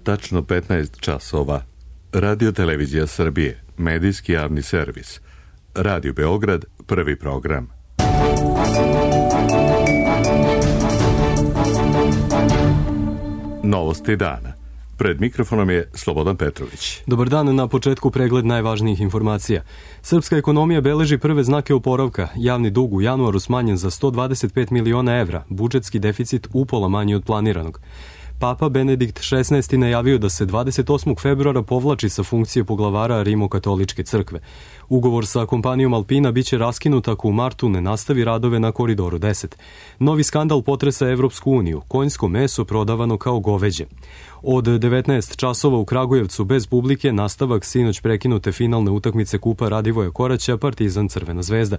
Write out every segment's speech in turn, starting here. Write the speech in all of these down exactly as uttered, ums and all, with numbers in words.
Tačno petnaest časova. Radio Televizija Srbije, medijski javni servis. Radio Beograd, prvi program. Novosti dana. Pred mikrofonom je Slobodan Petrović. Dobar dan, na početku pregled najvažnijih informacija. Srpska ekonomija beleži prve znake oporavka. Javni dug u januaru smanjen za sto dvadeset pet miliona evra, budžetski deficit upola manji od planiranog. Papa Benedikt šesnaesti najavio da se dvadeset osmog februara povlači sa funkcije poglavara Rimokatoličke crkve. Ugovor sa kompanijom Alpina biće raskinut ako u martu ne nastavi radove na Koridoru deset. Novi skandal potresa Evropsku uniju. Konjsko meso prodavano kao goveđe. Od devetnaest časova u Kragujevcu bez publike nastavak sinoć prekinute finalne utakmice Kupa Radivoja Koraća Partizan Crvena zvezda.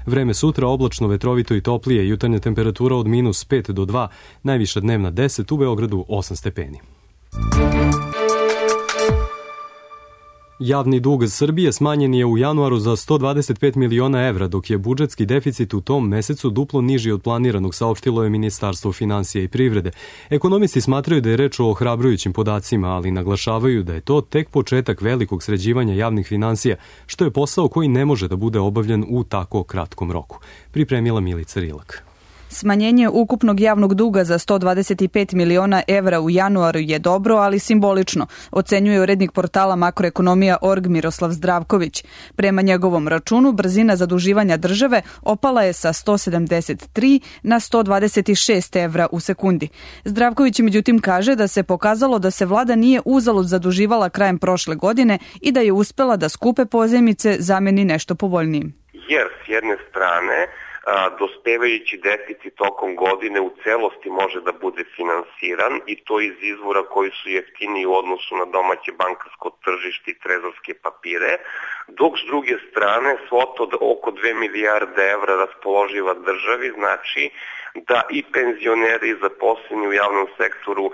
Vreme sutra oblačno, vetrovito i toplije, jutarnja temperatura od minus pet do dva, najviša dnevna deset, u Beogradu osam stepeni. Javni dug Srbije smanjen je u januaru za sto dvadeset pet miliona evra, dok je budžetski deficit u tom mesecu duplo niži od planiranog, saopštilo je Ministarstvo finansija i privrede. Ekonomisti smatraju da je reč o ohrabrujućim podacima, ali naglašavaju da je to tek početak velikog sređivanja javnih finansija, što je posao koji ne može da bude obavljen u tako kratkom roku. Pripremila Milica Rilak. Smanjenje ukupnog javnog duga za sto dvadeset pet miliona evra u januaru je dobro, ali simbolično, ocenjuje urednik portala makroekonomija kod org Miroslav Zdravković. Prema njegovom računu, brzina zaduživanja države opala je sa sto sedamdeset tri na sto dvadeset šest evra u sekundi. Zdravković međutim kaže da se pokazalo da se vlada nije uzalud zaduživala krajem prošle godine i da je uspela da skupe pozajmice zameni nešto povoljnijim. Jer s jedne strane A, dospevajući deficit tokom godine u celosti može da bude finansiran i to iz izvora koji su jeftiniji u odnosu na domaće bankarsko tržište i trezorske papire, dok s druge strane svota od oko dve milijarde evra raspoloživa državi znači da i penzioneri i zaposleni u javnom sektoru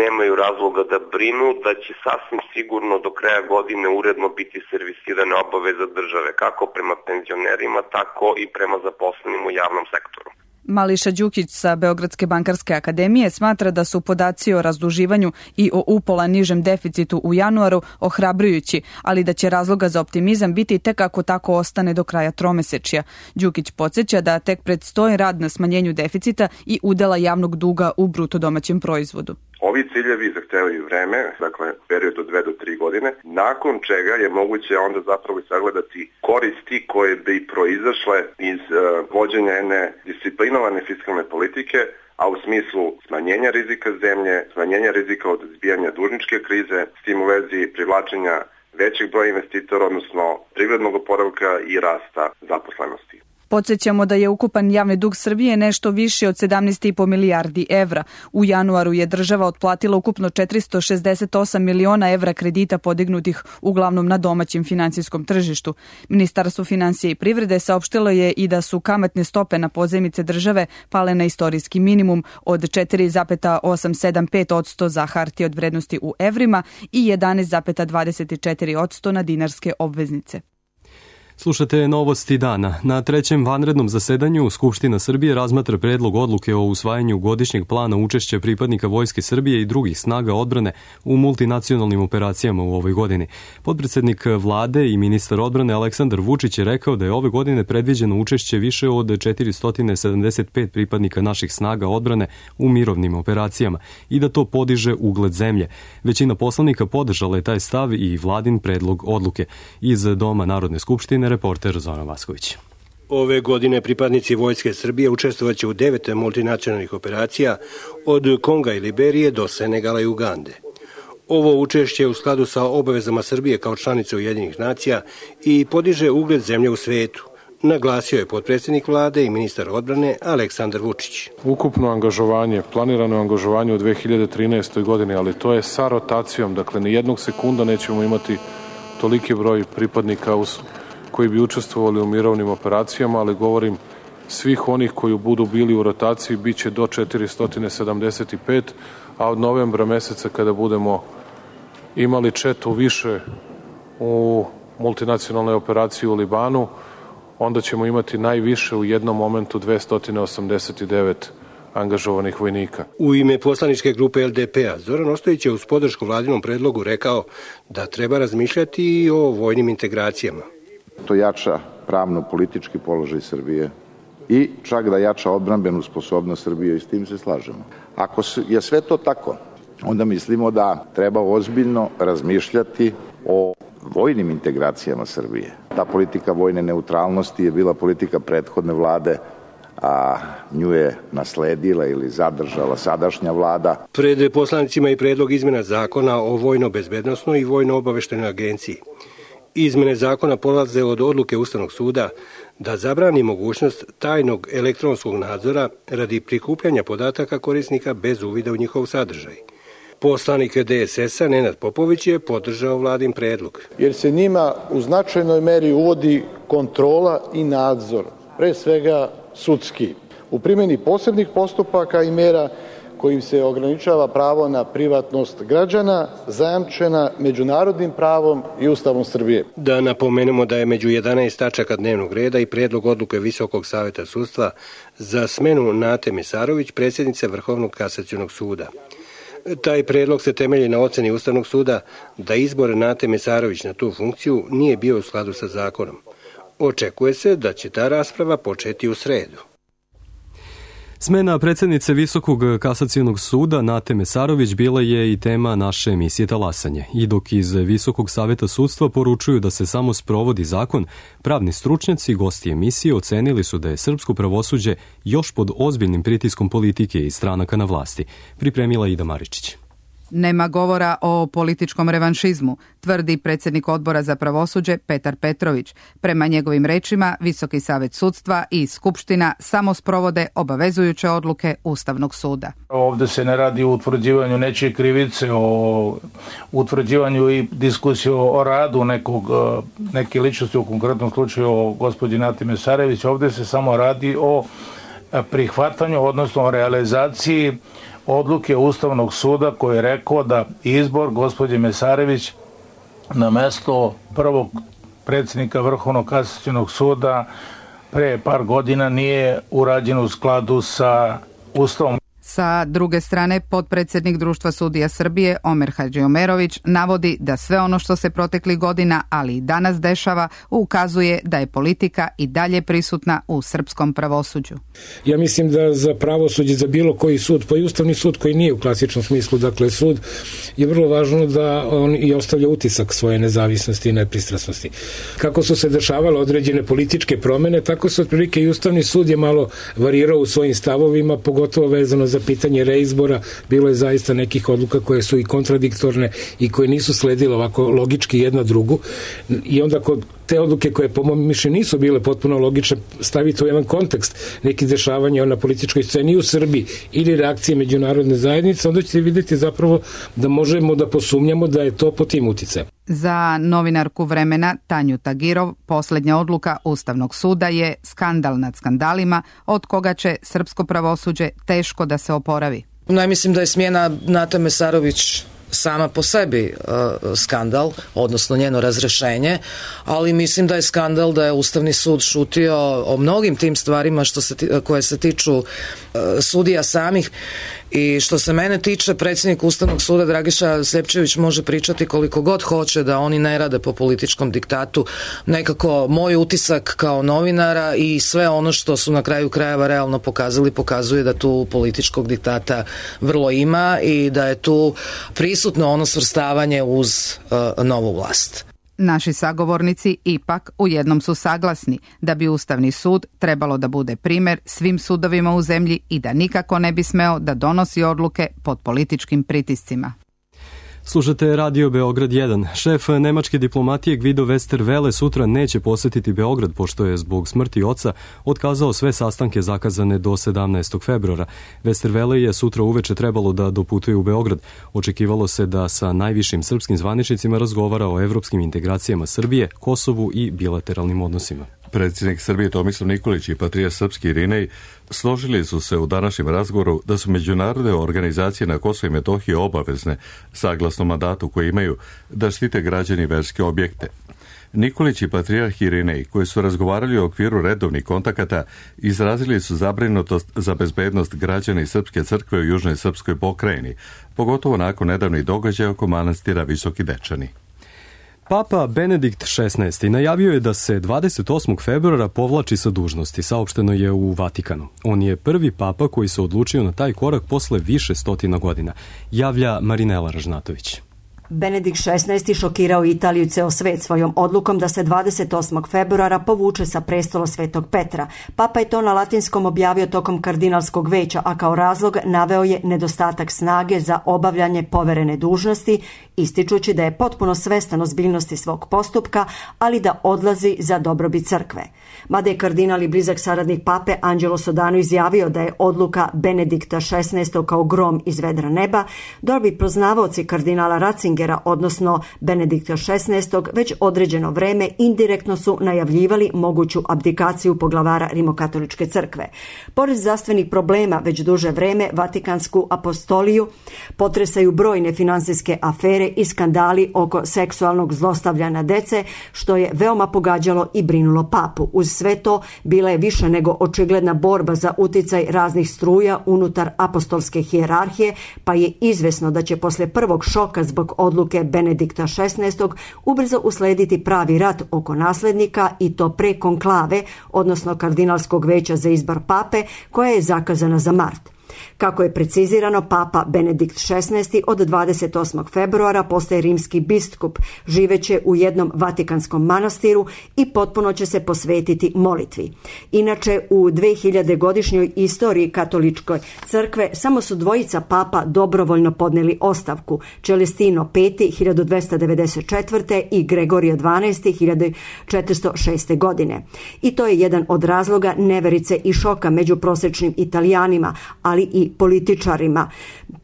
nemaju razloga da brinu, da će sasvim sigurno do kraja godine uredno biti servisirane obaveze države, kako prema penzionerima, tako i prema zaposlenim u javnom sektoru. Mališa Đukić sa Beogradske bankarske akademije smatra da su podaci o razduživanju i o upola nižem deficitu u januaru ohrabrujući, ali da će razloga za optimizam biti tek ako tako ostane do kraja tromesečja. Đukić podsjeća da tek predstoji rad na smanjenju deficita i udela javnog duga u bruto domaćem proizvodu. Ovi ciljevi zahtevaju vreme, dakle period od dve do tri godine, nakon čega je moguće onda zapravo sagledati koristi koje bi proizašle iz uh, vođenja jedne disciplinovane fiskalne politike, a u smislu smanjenja rizika zemlje, smanjenja rizika od izbijanja dužničke krize, s tim u vezi privlačenja većeg broja investitora, odnosno privrednog oporavka i rasta zaposlenosti. Podsjećamo da je ukupan javni dug Srbije nešto više od sedamnaest i po milijardi evra. U januaru je država otplatila ukupno četiristo šezdeset osam miliona evra kredita podignutih uglavnom na domaćem finansijskom tržištu. Ministarstvo finansija i privrede saopštilo je i da su kamatne stope na pozajmice države pale na istorijski minimum od četiri zarez osam sedam pet posto za hartije od vrednosti u evrima i jedanaest zarez dvadeset četiri posto na dinarske obveznice. Slušate novosti dana. Na trećem vanrednom zasedanju Skupština Srbije razmatra predlog odluke o usvajanju godišnjeg plana učešća pripadnika Vojske Srbije i drugih snaga odbrane u multinacionalnim operacijama u ovoj godini. Potpredsednik vlade i ministar odbrane Aleksandar Vučić je rekao da je ove godine predviđeno učešće više od četiristo sedamdeset pet pripadnika naših snaga odbrane u mirovnim operacijama i da to podiže ugled zemlje. Većina poslanika podržala je taj stav i vladin predlog odluke. Iz Doma Narodne skupštine reporter Zoran Vasković. Ove godine pripadnici Vojske Srbije učestvovaće u devet multinacionalnih operacija od Konga i Liberije do Senegala i Ugande. Ovo učešće je u skladu sa obavezama Srbije kao članice Ujedinjenih nacija i podiže ugled zemlje u svetu, naglasio je potpredsjednik vlade i ministar odbrane Aleksandar Vučić. Ukupno angažovanje, planirano angažovanje u dve hiljade trinaestoj godini, ali to je sa rotacijom, dakle ni jednog sekunda nećemo imati toliki broj pripadnika uz koji bi učestvovali u mirovnim operacijama, ali govorim svih onih koji budu bili u rotaciji biće do četiristo sedamdeset pet, a od novembra meseca kada budemo imali četu više u multinacionalnoj operaciji u Libanu, onda ćemo imati najviše u jednom momentu dvesta osamdeset devet angažovanih vojnika. U ime poslaničke grupe L D P-a Zoran Ostojić je uz podršku vladinom predlogu rekao da treba razmišljati i o vojnim integracijama. To jača pravno-politički položaj Srbije i čak da jača odbrambenu sposobnost Srbije i s tim se slažemo. Ako je sve to tako, onda mislimo da treba ozbiljno razmišljati o vojnim integracijama Srbije. Ta politika vojne neutralnosti je bila politika prethodne vlade, a nju je nasledila ili zadržala sadašnja vlada. Pred poslanicima i predlog izmena zakona o vojno-bezbednosnoj i vojno-obaveštenoj agenciji. Izmene zakona polaze od odluke Ustavnog suda da zabrani mogućnost tajnog elektronskog nadzora radi prikupljanja podataka korisnika bez uvida u njihov sadržaj. Poslanik D S S-a Nenad Popović je podržao vladin predlog. Jer se njima u značajnoj meri uvodi kontrola i nadzor, pre svega sudski, u primjeni posebnih postupaka i mera kojim se ograničava pravo na privatnost građana, zajamčena međunarodnim pravom i Ustavom Srbije. Da napomenemo da je među jedanaest tačaka dnevnog reda i predlog odluke Visokog saveta sudstva za smenu Nate Mesarović, predsjednice Vrhovnog kasacionog suda. Taj predlog se temelji na oceni Ustavnog suda da izbor Nate Mesarović na tu funkciju nije bio u skladu sa zakonom. Očekuje se da će ta rasprava početi u sredu. Smena predsjednice Visokog kasacionog suda Nate Mesarović bila je i tema naše emisije Talasanje. I dok iz Visokog saveta sudstva poručuju da se samo sprovodi zakon, pravni stručnjaci i gosti emisije ocenili su da je srpsko pravosuđe još pod ozbiljnim pritiskom politike i stranaka na vlasti. Pripremila Ida Maričić. Nema govora o političkom revanšizmu, tvrdi predsjednik odbora za pravosuđe Petar Petrović. Prema njegovim rečima, Visoki savet sudstva i Skupština samo sprovode obavezujuće odluke Ustavnog suda. Ovde se ne radi o utvrđivanju nečije krivice, o utvrđivanju i diskusiju o radu nekog, neke ličnosti, u konkretnom slučaju o gospođi Nati Mesarević. Ovde se samo radi o prihvatanju, odnosno o realizaciji odluke Ustavnog suda koji je rekao da izbor gospođe Mesarević na mesto prvog predsjednika Vrhovnog kasacionog suda pre par godina nije urađen u skladu sa Ustavom. Sa druge strane, potpredsjednik Društva sudija Srbije Omer Hadžiomerović navodi da sve ono što se proteklih godina, ali i danas dešava, ukazuje da je politika i dalje prisutna u srpskom pravosuđu. Ja mislim da za pravosuđe, za bilo koji sud, pa i Ustavni sud koji nije u klasičnom smislu, dakle sud, je vrlo važno da on i ostavlja utisak svoje nezavisnosti i nepristrasnosti. Kako su se dešavale određene političke promene, tako se otprilike i Ustavni sud je malo varirao u svojim stavovima, pogotovo vezano za pitanje reizbora. Bilo je zaista nekih odluka koje su i kontradiktorne i koje nisu sledile ovako logički jedna drugu, i onda kod te odluke koje po mom mišljenju nisu bile potpuno logične staviti u jedan kontekst nekih dešavanja na političkoj sceni u Srbiji ili reakcije međunarodne zajednice, onda ćete vidjeti zapravo da možemo da posumnjamo da je to po tim uticajem. Za novinarku Vremena Tanju Tagirov posljednja odluka Ustavnog suda je skandal nad skandalima od koga će srpsko pravosuđe teško da se oporavi. Ne mislim da je smjena Nate Mesarović sama po sebi uh, skandal, odnosno njeno razrešenje, ali mislim da je skandal da je Ustavni sud šutio o mnogim tim stvarima što se, koje se tiču uh, sudija samih. I što se mene tiče, predsjednik Ustavnog suda Dragiša Sljepčević može pričati koliko god hoće da oni ne rade po političkom diktatu. Nekako moj utisak kao novinara i sve ono što su na kraju krajeva realno pokazali, pokazuje da tu političkog diktata vrlo ima i da je tu prisutno ono svrstavanje uz uh, novu vlast. Naši sagovornici ipak u jednom su saglasni da bi Ustavni sud trebalo da bude primjer svim sudovima u zemlji i da nikako ne bi smeo da donosi odluke pod političkim pritiscima. Slušate Radio Beograd jedan. Šef nemačke diplomatije Guido Westerwelle sutra neće posjetiti Beograd pošto je zbog smrti oca otkazao sve sastanke zakazane do sedamnaestog februara. Westerwelle je sutra uveče trebalo da doputuje u Beograd. Očekivalo se da sa najvišim srpskim zvaničnicima razgovara o evropskim integracijama Srbije, Kosovu i bilateralnim odnosima. Predsjednik Srbije Tomislav Nikolić i patrijarh srpski Irinej složili su se u današnjem razgovoru da su međunarodne organizacije na Kosovu i Metohiji obavezne, saglasno mandatu koji imaju, da štite građani verske objekte. Nikolić i patrijarh Irinej, koji su razgovarali u okviru redovnih kontakata, izrazili su zabrinutost za bezbednost građana i Srpske crkve u južnoj srpskoj pokrajini, pogotovo nakon nedavnih događaja oko manastira Visoki Dečani. Papa Benedikt šesnaesti najavio je da se dvadeset osmog februara povlači sa dužnosti, saopšteno je u Vatikanu. On je prvi papa koji se odlučio na taj korak posle više stotina godina, javlja Marinela Ražnatović. Benedikt šesnaesti šokirao Italiju i ceo svet svojom odlukom da se dvadeset osmog februara povuče sa prestola Svetog Petra. Papa je to na latinskom objavio tokom kardinalskog veća, a kao razlog naveo je nedostatak snage za obavljanje poverene dužnosti, ističući da je potpuno svestan ozbiljnosti svog postupka, ali da odlazi za dobrobit crkve. Mada je kardinal i blizak saradnik pape Angelo Sodano izjavio da je odluka Benedikta šesnaestog kao grom iz vedra neba, dobri poznavaoci kardinala Ratzingera, odnosno Benedikta šesnaestog, već određeno vreme indirektno su najavljivali moguću abdikaciju poglavara Rimokatoličke crkve. Pored zdravstvenih problema, već duže vreme Vatikansku apostoliju potresaju brojne finansijske afere i skandali oko seksualnog zlostavljanja dece, što je veoma pogađalo i brinulo papu. Uz sve to bila je više nego očigledna borba za uticaj raznih struja unutar apostolske hijerarhije, pa je izvesno da će posle prvog šoka zbog odluke Benedikta šesnaestog ubrzo uslediti pravi rat oko naslednika, i to pre konklave, odnosno kardinalskog veća za izbor pape, koja je zakazana za mart. Kako je precizirano, papa Benedikt šesnaesti od dvadeset osmog februara postaje rimski biskup, živeće u jednom vatikanskom manastiru i potpuno će se posvetiti molitvi. Inače, u dvehiljade godišnjoj istoriji katoličkoj crkve samo su dvojica papa dobrovoljno podneli ostavku, Celestino peti hiljadu dvesta devedeset četvrte. i Gregorio dvanaesti hiljadu četiristo šeste. godine. I to je jedan od razloga neverice i šoka među prosečnim Italijanima, ali i političarima.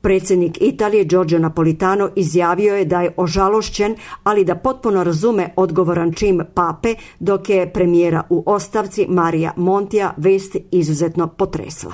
Predsjednik Italije Giorgio Napolitano izjavio je da je ožalošćen, ali da potpuno razume odgovoran čin pape, dok je premijera u ostavci Marija Montija vest izuzetno potresla.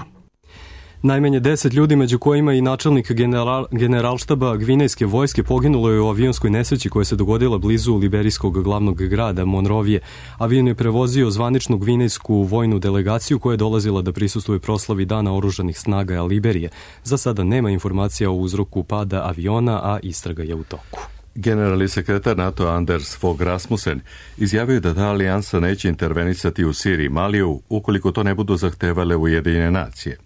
Najmanje deset ljudi, među kojima i načelnik general, generalštaba Gvinejske vojske, poginulo je u avionskoj nesreći koja se dogodila blizu liberijskog glavnog grada Monrovije. Avion je prevozio zvaničnu gvinejsku vojnu delegaciju koja je dolazila da prisustvuje proslavi Dana oružanih snaga Liberije. Za sada nema informacija o uzroku pada aviona, a istraga je u toku. Generalni sekretar NATO Anders Fogh Rasmussen izjavio je da ta alijansa neće intervenisati u Siriji i Maliju ukoliko to ne budu zahtevale Ujedinjene nacije.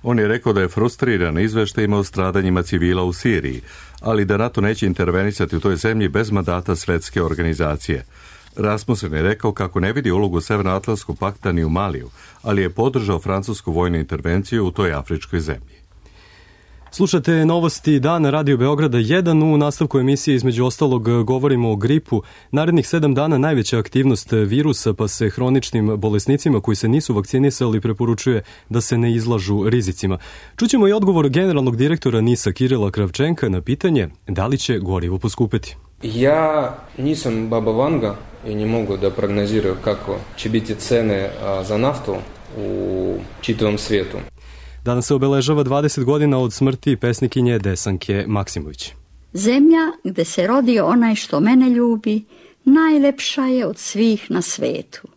On je rekao da je frustriran izveštajima o stradanjima civila u Siriji, ali da NATO neće intervenisati u toj zemlji bez mandata svetske organizacije. Rasmussen je rekao kako ne vidi ulogu Severnoatlantskog pakta ni u Maliju, ali je podržao francusku vojnu intervenciju u toj afričkoj zemlji. Slušate novosti dana Radio Beograda jedan. U nastavku emisije između ostalog govorimo o gripu. Narednih sedam dana najveća aktivnost virusa, pa se hroničnim bolesnicima koji se nisu vakcinisali preporučuje da se ne izlažu rizicima. Čućemo i odgovor generalnog direktora NIS-a Kirila Kravčenka na pitanje da li će gorivo poskupeti. Ja nisam Baba Vanga i ne mogu da prognoziraju kako će biti cene za naftu u čitavom svijetu. Danas se obeležava dvadeset godina od smrti pesnikinje Desanke Maksimović. Zemlja gde se rodi onaj što mene ljubi, najlepša je od svih na svetu.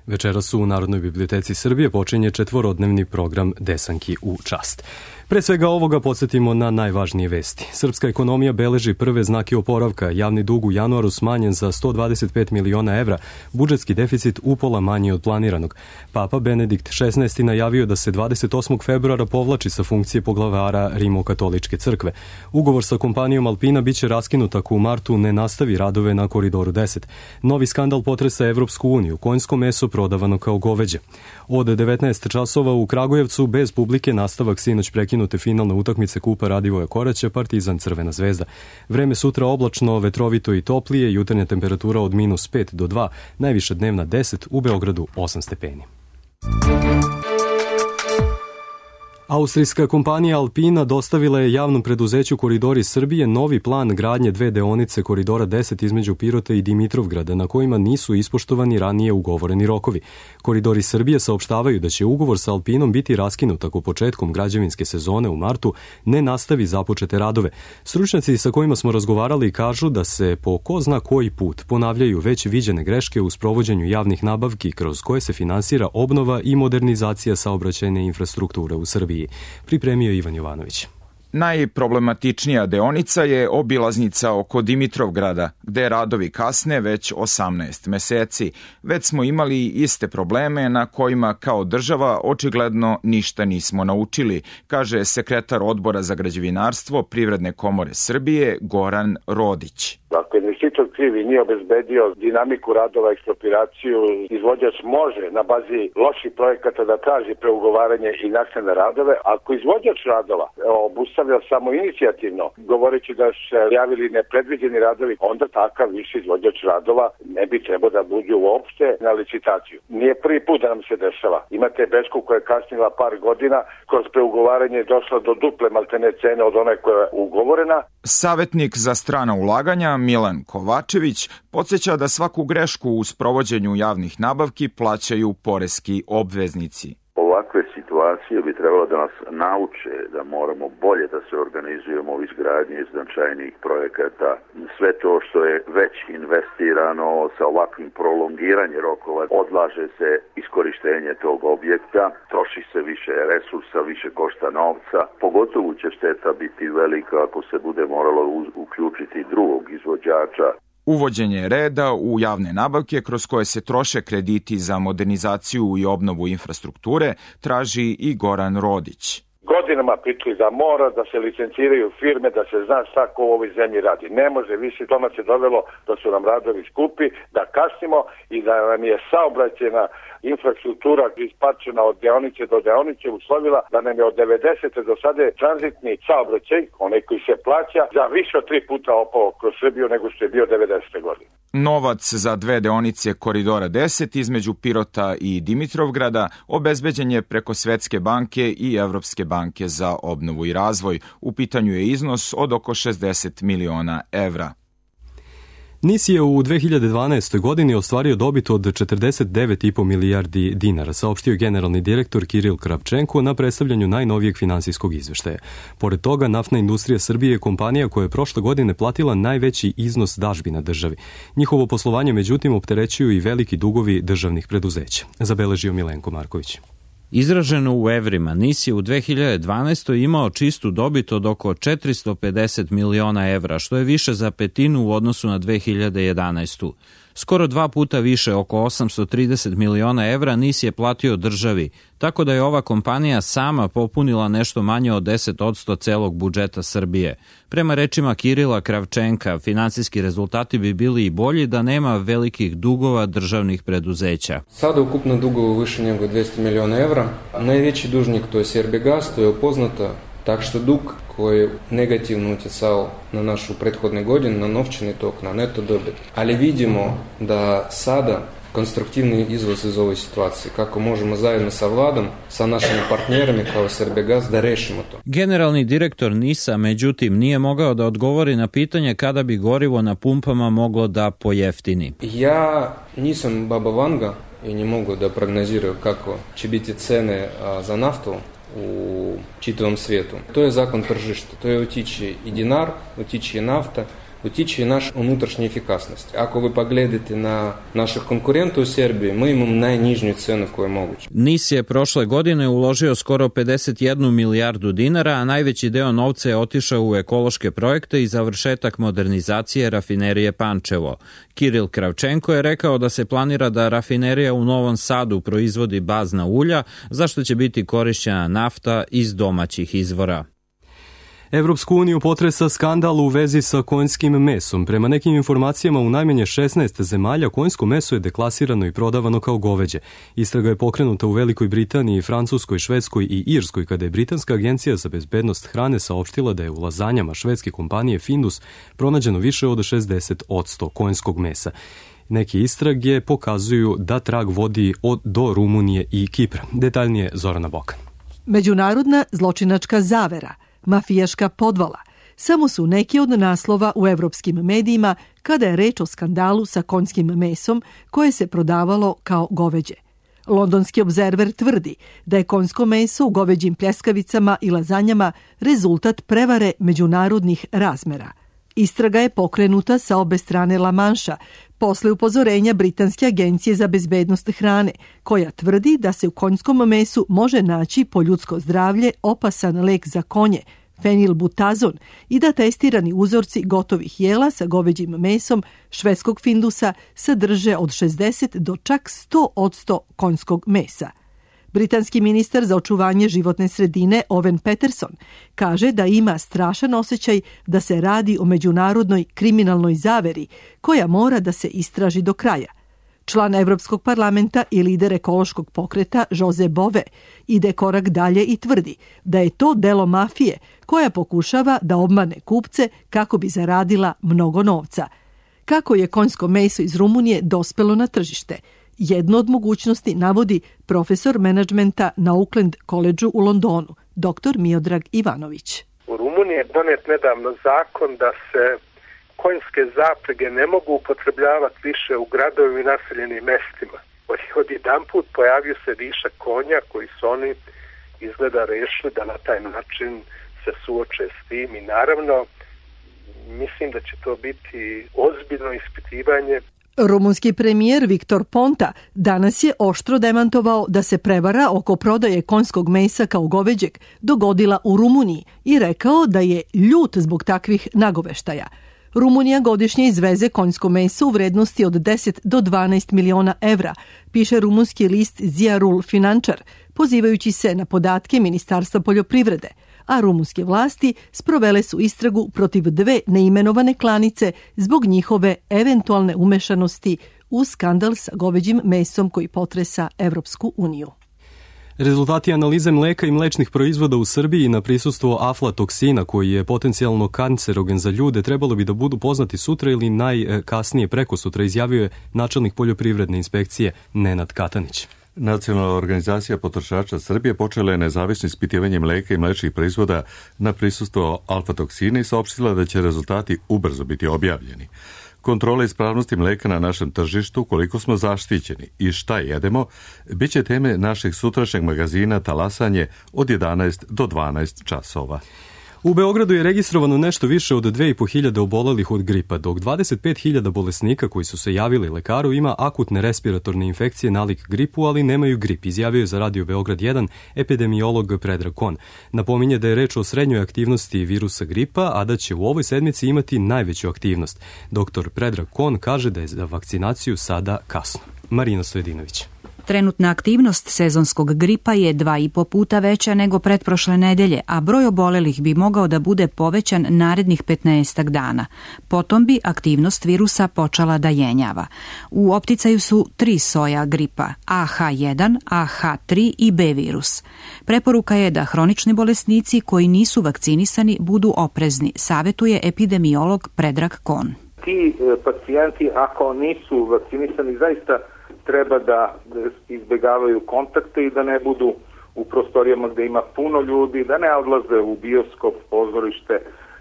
Večeras u Narodnoj biblioteci Srbije počinje četvorodnevni program Desanki u čast. Pre svega ovoga podsjetimo na najvažnije vesti. Srpska ekonomija beleži prve znake oporavka, javni dug u januaru smanjen za sto dvadeset pet miliona evra, budžetski deficit upola manji od planiranog. Papa Benedikt šesnaesti najavio da se dvadeset osmog februara povlači sa funkcije poglavara Rimokatoličke crkve. Ugovor sa kompanijom Alpina biće raskinut ako u martu ne nastavi radove na Koridoru deset. Novi skandal potresa Evropsku uniju, konjsko meso prodavano kao goveđe. Od devetnaest časova u Kragujevcu bez publike nastavak sinoć prekinute finalne utakmice Kupa Radivoja Koraća Partizan Crvena zvezda. Vreme sutra oblačno, vetrovito i toplije, jutarnja temperatura od minus pet do dva, najviša dnevna deset, u Beogradu osam stepeni. Austrijska kompanija Alpina dostavila je javnom preduzeću Koridori Srbije novi plan gradnje dve deonice Koridora deset između Pirota i Dimitrovgrada, na kojima nisu ispoštovani ranije ugovoreni rokovi. Koridori Srbije saopštavaju da će ugovor sa Alpinom biti raskinut ako početkom građevinske sezone u martu ne nastavi započete radove. Stručnjaci sa kojima smo razgovarali kažu da se po ko zna koji put ponavljaju već viđene greške u sprovođenju javnih nabavki kroz koje se finansira obnova i modernizacija saobraćajne infrastrukture u Srbiji. Pripremio Ivan Jovanović. Najproblematičnija deonica je obilaznica oko Dimitrovgrada, gde radovi kasne već osamnaest meseci. Već smo imali iste probleme na kojima kao država očigledno ništa nismo naučili, kaže sekretar Odbora za građevinarstvo Privredne komore Srbije Goran Rodić. Ako investitor krivi nije obezbedio dinamiku radova, eksproprijaciju, izvođač može na bazi loših projekata da traži preugovaranje i naknadne radove. Ako izvođač radova obustavlja samo inicijativno, govoreći da su se javili nepredviđeni radovi, onda takav više izvođač radova ne bi trebao da buđe uopšte na licitaciju. Nije prvi put da nam se dešava. Imate Bečku koja je kasnila par godina, kroz preugovaranje je došla do duple maltene cene od one koja je ugovorena. Savetnik za strana ulaganja Milan Kovačević podsjeća da svaku grešku u sprovođenju javnih nabavki plaćaju poreski obveznici. Ovakve situacije bi trebalo da nas nauče da moramo bolje da se organizujemo u izgradnji značajnih projekata. Sve to što je već investirano sa ovakvim prolongiranjem rokova, odlaže se iskorištenje tog objekta, troši se više resursa, više košta novca. Pogotovo će šteta biti velika ako se bude moralo uključiti drugog izvođača. Uvođenje reda u javne nabavke kroz koje se troše krediti za modernizaciju i obnovu infrastrukture traži i Goran Rodić. Godinama pričali da mora da se licenciraju firme, da se zna šta ko u ovoj zemlji radi. Ne može više, to nas je dovelo da su nam radovi skupi, da kasnimo i da nam je saobraćajna infrastruktura ispačena od deonice do deonice uslovila da nam je od devedesete do sada tranzitni saobraćaj, onaj koji se plaća, za više od tri puta opao kroz Srbiju nego što je bio devedesete godine. Novac za dve deonice Koridora deset između Pirota i Dimitrovgrada obezbeđen je preko Svetske banke i Evropske banke za obnovu i razvoj. U pitanju je iznos od oko šezdeset miliona evra. NIS je u dve hiljade dvanaestoj. godini ostvario dobit od četrdeset devet i po milijardi dinara, saopštio generalni direktor Kiril Kravčenko na predstavljanju najnovijeg finansijskog izveštaja. Pored toga, Naftna industrija Srbije je kompanija koja je prošle godine platila najveći iznos dažbina državi. Njihovo poslovanje, međutim, opterećuju i veliki dugovi državnih preduzeća, zabeležio Milenko Marković. Izraženo u evrima, NIS je u dve hiljade dvanaestoj. imao čistu dobit od oko četiristo pedeset miliona evra, što je više za petinu u odnosu na dve hiljade jedanaestu. Skoro dva puta više, oko osamsto trideset miliona evra, NIS je platio državi, tako da je ova kompanija sama popunila nešto manje od deset posto celog budžeta Srbije. Prema rečima Kirila Kravčenka, finansijski rezultati bi bili i bolji da nema velikih dugova državnih preduzeća. Sada ukupno dugovo više nego dvesta miliona evra. Najveći dužnik, to je Srbijagas, to je upoznato. Так što dug koji je negativno utjecao na našu prethodne godine, na novčani tok, na neto dobit. Ali vidimo da sada konstruktivni izlaz iz ove situacije, kako možemo zajedno sa vladom, sa našim partnerima kao Srbijagas da rešimo to. Generalni direktor NIS-a, međutim, nije mogao da odgovori na pitanje kada bi gorivo na pumpama moglo da pojeftini. Ja nisam Baba Vanga i ne mogu da prognoziraju kako će biti cene za naftu u čitavom svijetu. To je zakon tržišta, to je utiče i dinar, utiče i nafta, utiče i naša unutrašnja efikasnost. Ako vi pogledate na naših konkurenta u Srbiji, mi imamo najnižnju cenu koju je moguće. NIS je prošle godine uložio skoro pedeset jednu milijardu dinara, a najveći deo novca je otišao u ekološke projekte i završetak modernizacije rafinerije Pančevo. Kiril Kravčenko je rekao da se planira da rafinerija u Novom Sadu proizvodi bazna ulja, za što će biti korišćena nafta iz domaćih izvora. Evropsku uniju potresa skandal u vezi sa konjskim mesom. Prema nekim informacijama u najmanje šesnaest zemalja konjsko meso je deklasirano i prodavano kao goveđe. Istraga je pokrenuta u Velikoj Britaniji, Francuskoj, Švedskoj i Irskoj, kada je Britanska agencija za bezbednost hrane saopštila da je u lazanjama švedske kompanije Findus pronađeno više od šezdeset posto konjskog mesa. Neki istrage pokazuju da trag vodi od, do Rumunije i Kipra. Detaljnije Zorana Bokan. Međunarodna zločinačka zavera, mafijaška podvala, samo su neki od naslova u evropskim medijima kada je reč o skandalu sa konjskim mesom koje se prodavalo kao goveđe. Londonski obzerver tvrdi da je konjsko meso u goveđim pljeskavicama i lazanjama rezultat prevare međunarodnih razmera. Istraga je pokrenuta sa obe strane La Manša posle upozorenja Britanske agencije za bezbednost hrane, koja tvrdi da se u konjskom mesu može naći po ljudsko zdravlje opasan lek za konje, fenilbutazon, i da testirani uzorci gotovih jela sa goveđim mesom švedskog findusa sadrže od šezdeset do čak sto posto konjskog mesa. Britanski ministar za očuvanje životne sredine Owen Peterson kaže da ima strašan osjećaj da se radi o međunarodnoj kriminalnoj zaveri koja mora da se istraži do kraja. Član Evropskog parlamenta i lider ekološkog pokreta Jose Bove ide korak dalje i tvrdi da je to delo mafije koja pokušava da obmane kupce kako bi zaradila mnogo novca. Kako je konjsko meso iz Rumunije dospelo na tržište? Jednu od mogućnosti navodi profesor menadžmenta na Auckland Collegeu u Londonu, doktor Miodrag Ivanović. U Rumuniji je donet nedavno zakon da se konjske zaprege ne mogu upotrebljavati više u gradovima i naseljenim mestima. Od jedan put pojavio se višak konja koji su oni izgleda rešili da na taj način se suoče s tim i naravno mislim da će to biti ozbiljno ispitivanje. Rumunski premijer Viktor Ponta danas je oštro demantovao da se prevara oko prodaje konjskog mesa kao goveđeg dogodila u Rumuniji i rekao da je ljut zbog takvih nagoveštaja. Rumunija godišnje izveze konjsko meso u vrednosti od deset do dvanaest miliona evra, piše rumunski list Ziarul Finančar, pozivajući se na podatke Ministarstva poljoprivrede, a rumunske vlasti sprovele su istragu protiv dve neimenovane klanice zbog njihove eventualne umešanosti u skandal sa goveđim mesom koji potresa Evropsku uniju. Rezultati analize mleka i mlečnih proizvoda u Srbiji na prisustvo aflatoksina, koji je potencijalno kancerogen za ljude, trebalo bi da budu poznati sutra ili najkasnije preko sutra, izjavio je načelnik poljoprivredne inspekcije Nenad Katanić. Nacionalna organizacija potrošača Srbije počela je nezavisno ispitivanje mleka i mlečnih proizvoda na prisustvo alfatoksina i saopštila da će rezultati ubrzo biti objavljeni. Kontrola ispravnosti mleka na našem tržištu, koliko smo zaštićeni i šta jedemo, bit će teme našeg sutrašnjeg magazina Talasanje od jedanaest do dvanaest časova. U Beogradu je registrovano nešto više od dve i po hiljade obolelih od gripa, dok dvadeset pet hiljada bolesnika koji su se javili lekaru ima akutne respiratorne infekcije nalik gripu, ali nemaju grip, izjavio je za Radio Beograd jedan epidemiolog Predrag Kon. Napominje da je reč o srednjoj aktivnosti virusa gripa, a da će u ovoj sedmici imati najveću aktivnost. Doktor Predrag Kon kaže da je za vakcinaciju sada kasno. Marina Stojedinović. Trenutna aktivnost sezonskog gripa je dva i po puta veća nego pretprošle nedelje, a broj obolelih bi mogao da bude povećan narednih petnaestak dana. Potom bi aktivnost virusa počela da jenjava. U opticaju su tri soja gripa, A H jedan, A H tri i B virus. Preporuka je da hronični bolesnici koji nisu vakcinisani budu oprezni, savetuje epidemiolog Predrag Kon. Ti pacijenti, ako nisu vakcinisani, zaista treba da izbegavaju kontakte i da ne budu u prostorijama gde ima puno ljudi, da ne odlaze u bioskop, pozorište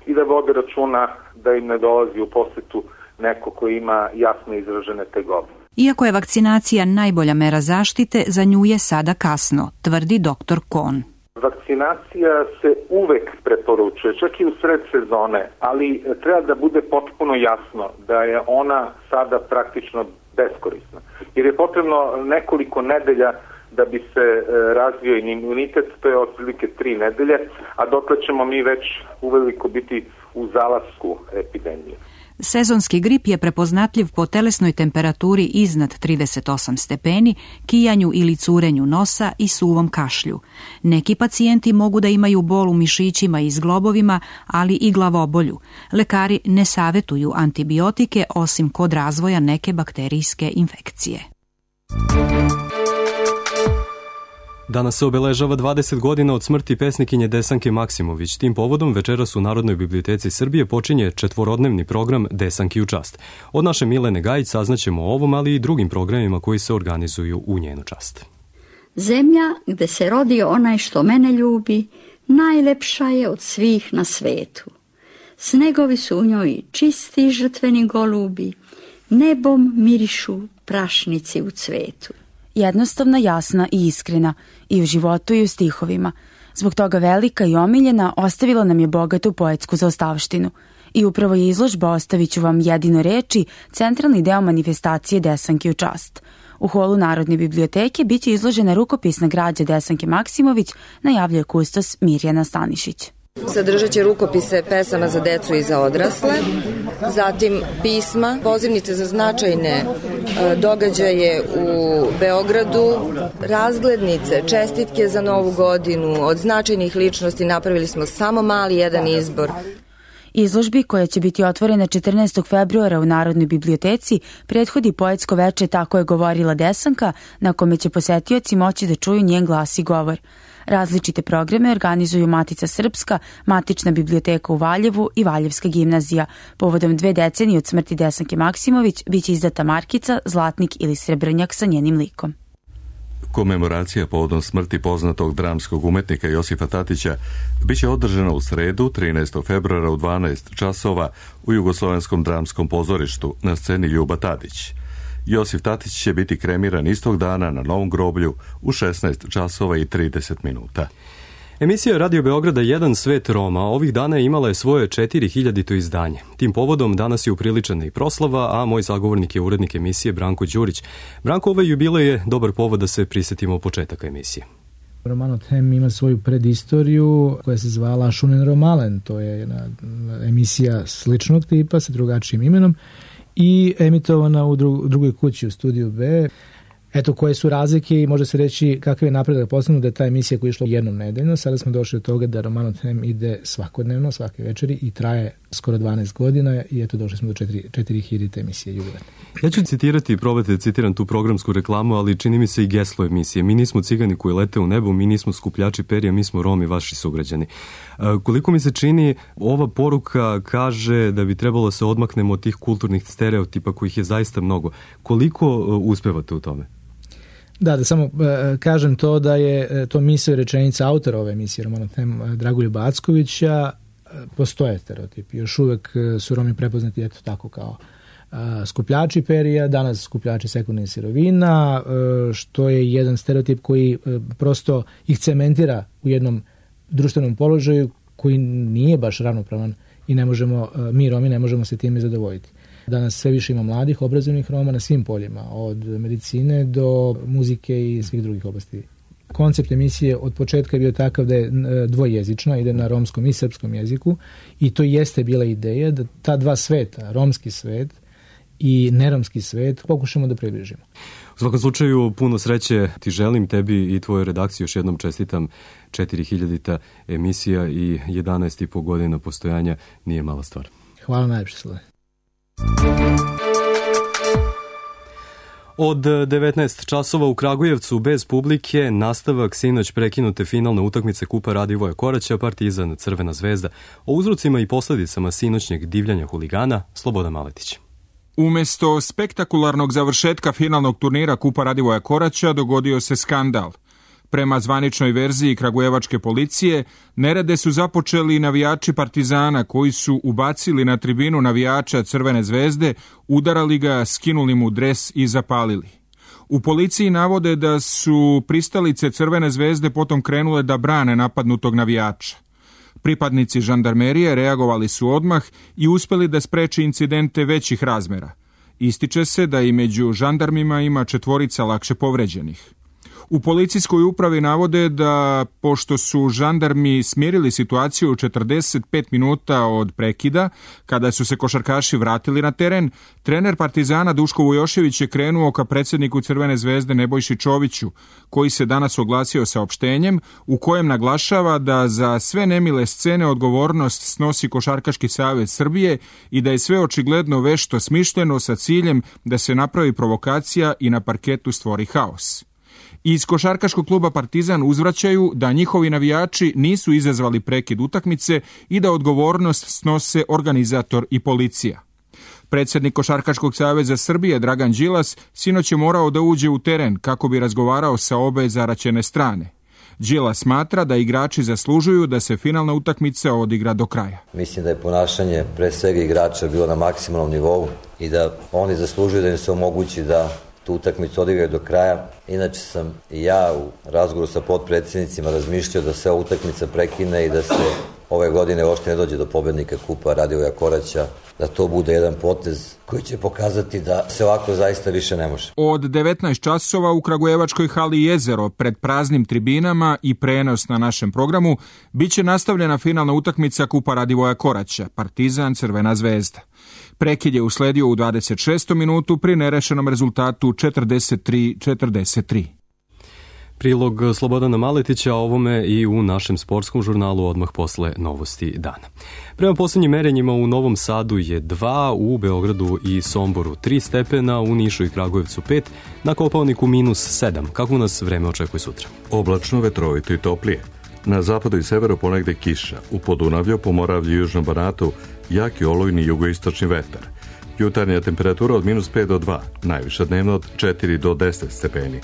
i da vode računa da im ne dolazi u posetu neko koji ima jasno izražene tegobe. Iako je vakcinacija najbolja mera zaštite, za nju je sada kasno, tvrdi doktor Kon. Vakcinacija se uvek preporučuje, čak i u sred sezone, ali treba da bude potpuno jasno da je ona sada praktično beskorisna. Jer je potrebno nekoliko nedelja da bi se razvio imunitet, to je otprilike tri nedelje, a dotle ćemo mi već uveliko biti u zalasku epidemije. Sezonski grip je prepoznatljiv po telesnoj temperaturi iznad trideset osam stepeni, kijanju ili curenju nosa i suvom kašlju. Neki pacijenti mogu da imaju bol u mišićima i zglobovima, ali i glavobolju. Lekari ne savetuju antibiotike osim kod razvoja neke bakterijske infekcije. Danas se obeležava dvadeset godina od smrti pesnikinje Desanke Maksimović. Tim povodom večeras u Narodnoj biblioteci Srbije počinje četvorodnevni program Desanki u čast. Od naše Milene Gajić saznaćemo o ovom, ali i drugim programima koji se organizuju u njenu čast. Zemlja gde se rodio onaj što mene ljubi, najlepša je od svih na svetu. Snegovi su u njoj čisti žrtveni golubi, nebom mirišu prašnici u cvetu. Jednostavna, jasna i iskrena, i u životu i u stihovima. Zbog toga velika i omiljena, ostavila nam je bogatu poetsku zaostavštinu. I upravo je izložba Ostavit ću vam jedino reči centralni deo manifestacije Desanki u čast. U holu Narodne biblioteke biće izložena rukopisna građa Desanke Maksimović, najavljuje kustos Mirjana Stanišić. Sadržat će rukopise pesama za decu i za odrasle, zatim pisma, pozivnice za značajne događaje u Beogradu, razglednice, čestitke za Novu godinu, od značajnih ličnosti napravili smo samo mali jedan izbor. Izložbi, koja će biti otvorena četrnaestog februara u Narodnoj biblioteci, prethodi poetsko veče Tako je govorila Desanka, na kome će posetioci moći da čuju njen glas i govor. Različite programe organizuju Matica Srpska, Matična biblioteka u Valjevu i Valjevska gimnazija. Povodom dve decenije od smrti Desanke Maksimović biće izdata markica, zlatnik ili srebrnjak sa njenim likom. Komemoracija povodom smrti poznatog dramskog umetnika Josifa Tatića biće održana u sredu trinaestog februara u dvanaest časova u Jugoslovenskom dramskom pozorištu na sceni Ljuba Tadić. Josif Tatić će biti kremiran istog dana na Novom groblju u šesnaest časova i trideset minuta. Emisija Radio Beograda Jedan svet Roma ovih dana imala je svoje četiri hiljadito izdanje. Tim povodom danas je upriličena i proslava, a moj sagovornik je urednik emisije Branko Đurić. Branko, ovaj jubilej je dobar povod da se prisetimo početaka emisije. Romano Tem ima svoju predistoriju koja se zvala Šunen Romalen, to je jedna emisija sličnog tipa sa drugačijim imenom i emitovana u drugoj kući u Studiju B. Eto, koje su razlike i može se reći kakav je napredak postignut da je ta emisija koja je išla jednom nedeljno. Sada smo došli do toga da Romano Tem ide svakodnevno, svake večeri i traje skoro dvanaest godina i eto došli smo do četiri hiljadite emisije jubilarne. Ja ću citirati, probajte da citiram tu programsku reklamu, ali čini mi se i geslo emisije. Mi nismo cigani koji lete u nebu, mi nismo skupljači perja, mi smo Romi, vaši sugrađani. Koliko mi se čini, ova poruka kaže da bi trebalo se odmaknemo od tih kulturnih stereotipa kojih je zaista mnogo. Koliko uspevate u tome? Da, da samo kažem to da je to misao i rečenica autora ove emisije Romano Tem Dragoljuba Ackovića. Postoje stereotipi. Još uvek su Romi prepoznati eto tako kao skupljači perija, danas skupljači sekundarnih sirovina, što je jedan stereotip koji prosto ih cementira u jednom društvenom položaju koji nije baš ravnopravan i ne možemo, mi Romi ne možemo se time zadovoljiti. Danas sve više ima mladih, obrazovnih Roma na svim poljima, od medicine do muzike i svih drugih oblasti. Koncept emisije od početka je bio takav da je dvojezična, ide na romskom i srpskom jeziku i to jeste bila ideja da ta dva sveta, romski svet i neromski svet, pokušamo da približimo. U svakom slučaju, puno sreće ti želim, tebi i tvojoj redakciji još jednom čestitam četiri hiljadita emisija i jedanaest i po godina postojanja, nije mala stvar. Hvala najljepše, Slave. Od devetnaest časova u Kragujevcu bez publike nastavak sinoć prekinute finalne utakmice Kupa Radivoja Koraća, Partizan Crvena zvezda. O uzrocima i posledicama sinoćnjeg divljanja huligana Slobodan Maletić. Umesto spektakularnog završetka finalnog turnira Kupa Radivoja Koraća dogodio se skandal. Prema zvaničnoj verziji kragujevačke policije, nerede su započeli navijači Partizana koji su ubacili na tribinu navijača Crvene zvezde, udarali ga, skinuli mu dres i zapalili. U policiji navode da su pristalice Crvene zvezde potom krenule da brane napadnutog navijača. Pripadnici žandarmerije reagovali su odmah i uspeli da spreče incidente većih razmera. Ističe se da i među žandarmima ima četvorica lakše povređenih. U policijskoj upravi navode da, pošto su žandarmi smirili situaciju u četrdeset pet minuta od prekida, kada su se košarkaši vratili na teren, trener Partizana Duško Vujošević je krenuo ka predsjedniku Crvene zvezde Nebojši Čoviću, koji se danas oglasio saopštenjem u kojem naglašava da za sve nemile scene odgovornost snosi Košarkaški savez Srbije i da je sve očigledno vešto smišljeno sa ciljem da se napravi provokacija i na parketu stvori haos. Iz košarkaškog kluba Partizan uzvraćaju da njihovi navijači nisu izazvali prekid utakmice i da odgovornost snose organizator i policija. Predsjednik Košarkaškog saveza Srbije Dragan Đilas sinoć je morao da uđe u teren kako bi razgovarao sa obe zaraćene strane. Đilas smatra da igrači zaslužuju da se finalna utakmica odigra do kraja. Mislim da je ponašanje pre svega igrača bilo na maksimalnom nivou i da oni zaslužuju da im se omogući da tu utakmicu odigraju do kraja. Inače sam i ja u razgovoru sa potpredsjednicima razmišljao da se ova utakmica prekine i da se ove godine uopšte ne dođe do pobednika kupa Radivoja Koraća, da to bude jedan potez koji će pokazati da se ovako zaista više ne može. Od devetnaest časova u kragujevačkoj hali Jezero pred praznim tribinama i prenos na našem programu biće nastavljena finalna utakmica kupa Radivoja Koraća, Partizan Crvena zvezda. Prekid je usledio u dvadeset šestom minutu pri nerešenom rezultatu četrdeset tri četrdeset tri. Prilog Slobodana Maletića o ovome i u našem sportskom žurnalu odmah posle novosti dana. Prema posljednjim merenjima u Novom Sadu je dva, u Beogradu i Somboru tri stepena, u Nišu i Kragujevcu pet, na Kopaoniku minus sedam. Kako nas vreme očekuje sutra? Oblačno, vetrovito i toplije. Na zapadu i severu ponegde kiša, u Podunavlju, Pomoravlju i Južnom Banatu jaki olujni jugoistočni vetar. Jutarnja temperatura od minus pet do dva, najviša dnevna od četiri do deset stepeni.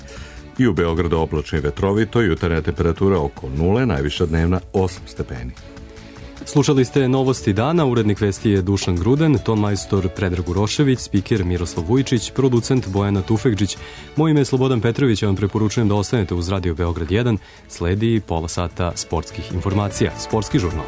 I u Beogradu oblačno i vetrovito, jutarnja temperatura oko nule, najviša dnevna osam stepeni. Slušali ste novosti dana, urednik vesti je Dušan Gruden, ton majstor Predrag Urošević, spiker Miroslav Vujičić, producent Bojana Tufekđić. Moje ime je Slobodan Petrović, ja vam preporučujem da ostanete uz Radio Beograd jedan, sledi pola sata sportskih informacija, sportski žurnal.